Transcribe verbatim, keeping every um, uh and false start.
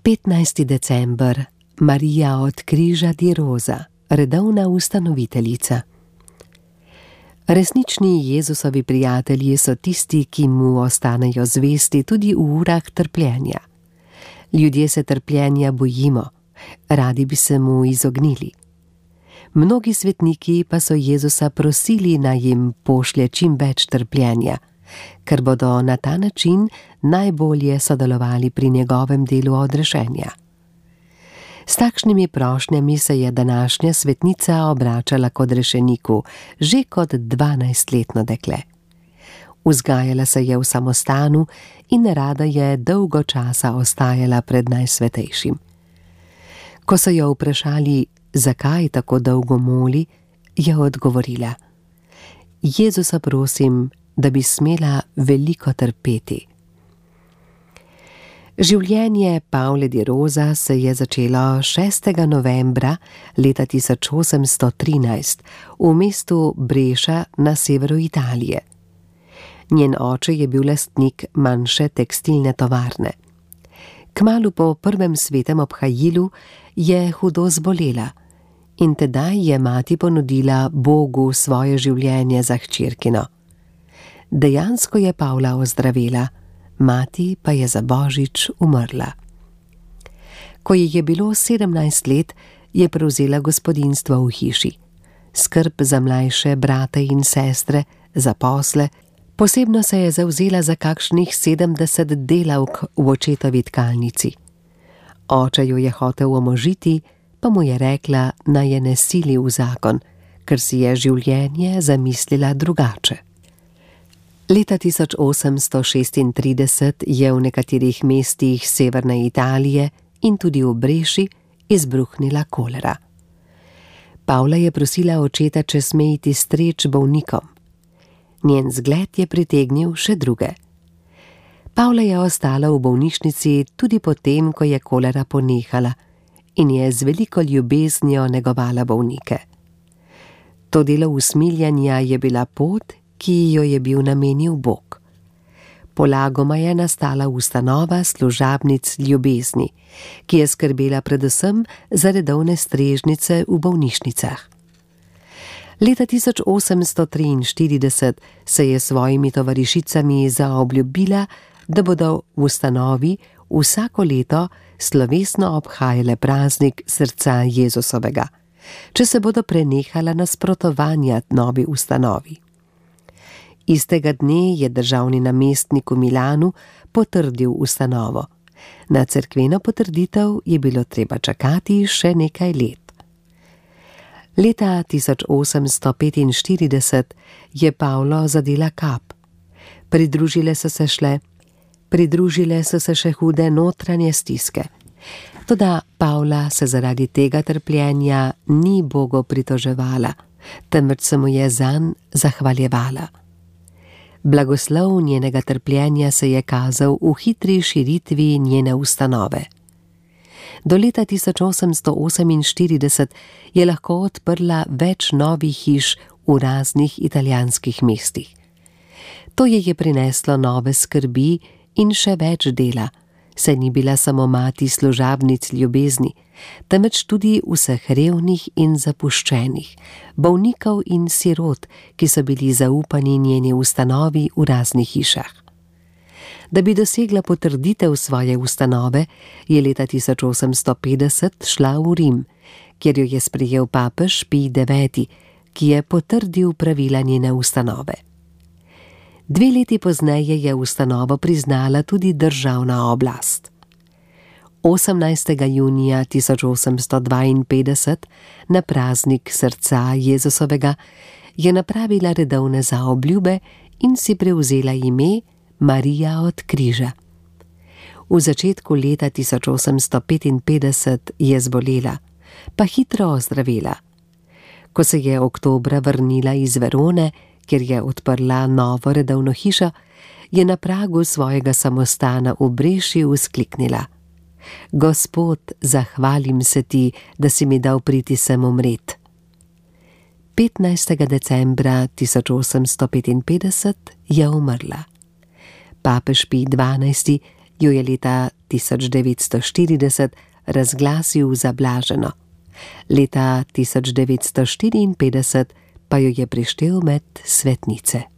petnajsti december, Marija od Križa di Rosa, redovna ustanoviteljica. Resnični Jezusovi prijatelji so tisti, ki mu ostanejo zvesti tudi v urah trpljenja. Ljudje se trpljenja bojimo, radi bi se mu izognili. Mnogi svetniki pa so Jezusa prosili, naj jim pošlje čim več trpljenja, ker bodo na ta način najbolje sodelovali pri njegovem delu odrešenja. S takšnimi prošnjami se je današnja svetnica obračala k odrešeniku že kot dvanajstletno dekle. Vzgajala se je v samostanu in rada je dolgo časa ostajala pred Najsvetejšim. Ko so jo vprašali, zakaj tako dolgo moli, je odgovorila: Jezusa prosim, da bi smela veliko trpeti. Življenje Pavle di Rosa se je začelo šestega novembra leta tisoč osemsto trinajst v mestu Breša na severu Italije. Njen oče je bil lastnik manjše tekstilne tovarne. Kmalu po prvem svetem obhajilu je hudo zbolela in tedaj je mati ponudila Bogu svoje življenje za hčerkino. Dejansko je Pavla ozdravela, mati pa je za božič umrla. Ko ji je bilo sedemnajst let, je prevzela gospodinjstvo v hiši. Skrb za mlajše brate in sestre, za posle, posebno se je zavzela za kakšnih sedemdeset delavk v očetovi tkalnici. Oče jo je hotel omožiti, pa mu je rekla, naj je ne sili v zakon, ker si je življenje zamislila drugače. Leta tisoč osemsto šestintrideset je v nekaterih mestih severne Italije in tudi v Breši izbruhnila kolera. Pavla je prosila očeta, če sme iti streč bolnikom. Njen zgled je pritegnil še druge. Pavla je ostala v bolnišnici tudi potem, ko je kolera ponehala in je z veliko ljubeznijo negovala bolnike. To delo usmiljanja je bila pot, ki jo je bil namenil Bog. Polagoma je nastala ustanova služabnic ljubezni, ki je skrbela predvsem za redovne strežnice v bolnišnicah. Leta tisoč osemsto triinštirideset se je s svojimi tovarišicami zaobljubila, da bodo v ustanovi vsako leto slovesno obhajale praznik srca Jezusovega, če se bodo prenehala nasprotovanja novi ustanovi. Istega dne je državni namestnik v Milanu potrdil ustanovo. Na cerkveno potrditev je bilo treba čakati še nekaj let. Leta tisoč osemsto petinštirideset je Pavlo zadela kap. Pridružile so se šle, pridružile so se še hude notranje stiske. Toda Pavla se zaradi tega trpljenja ni Bogu pritoževala, temveč se mu je zanj zahvaljevala. Blagoslov njenega trpljenja se je kazal v hitri širitvi njene ustanove. Do leta tisoč osemsto oseminštirideset je lahko odprla več novih hiš v raznih italijanskih mestih. To ji je prineslo nove skrbi in še več dela, saj ni bila samo mati služabnic ljubezni, temveč tudi vseh revnih in zapuščenih, bolnikov in sirot, ki so bili zaupani njeni ustanovi v raznih hišah. Da bi dosegla potrditev svoje ustanove, je leta tisoč osemsto petdeset šla v Rim, kjer jo je sprejel papež Pij deveti, ki je potrdil pravila njene ustanove. Dve leti pozneje je ustanovo priznala tudi državna oblast. osemnajstega junija tisoč osemsto dvainpetdeset, na praznik srca Jezusovega, je napravila redovne zaobljube in si prevzela ime Marija od Križa. V začetku leta tisoč osemsto petinpetdeset je zbolela, pa hitro ozdravela. Ko se je oktobra vrnila iz Verone, kjer je odprla novo redovno hišo, je na pragu svojega samostana v Breši vzkliknila: Gospod, zahvalim se ti, da si mi dal priti sem umret. petnajstega decembra tisoč osemsto petinpetdeset je umrla. Papež Pij dvanajsti jo je leta tisoč devetsto štirideset razglasil za blaženo. Leta tisoč devetsto štiriinpetdeset pa jo je prištel med svetnice.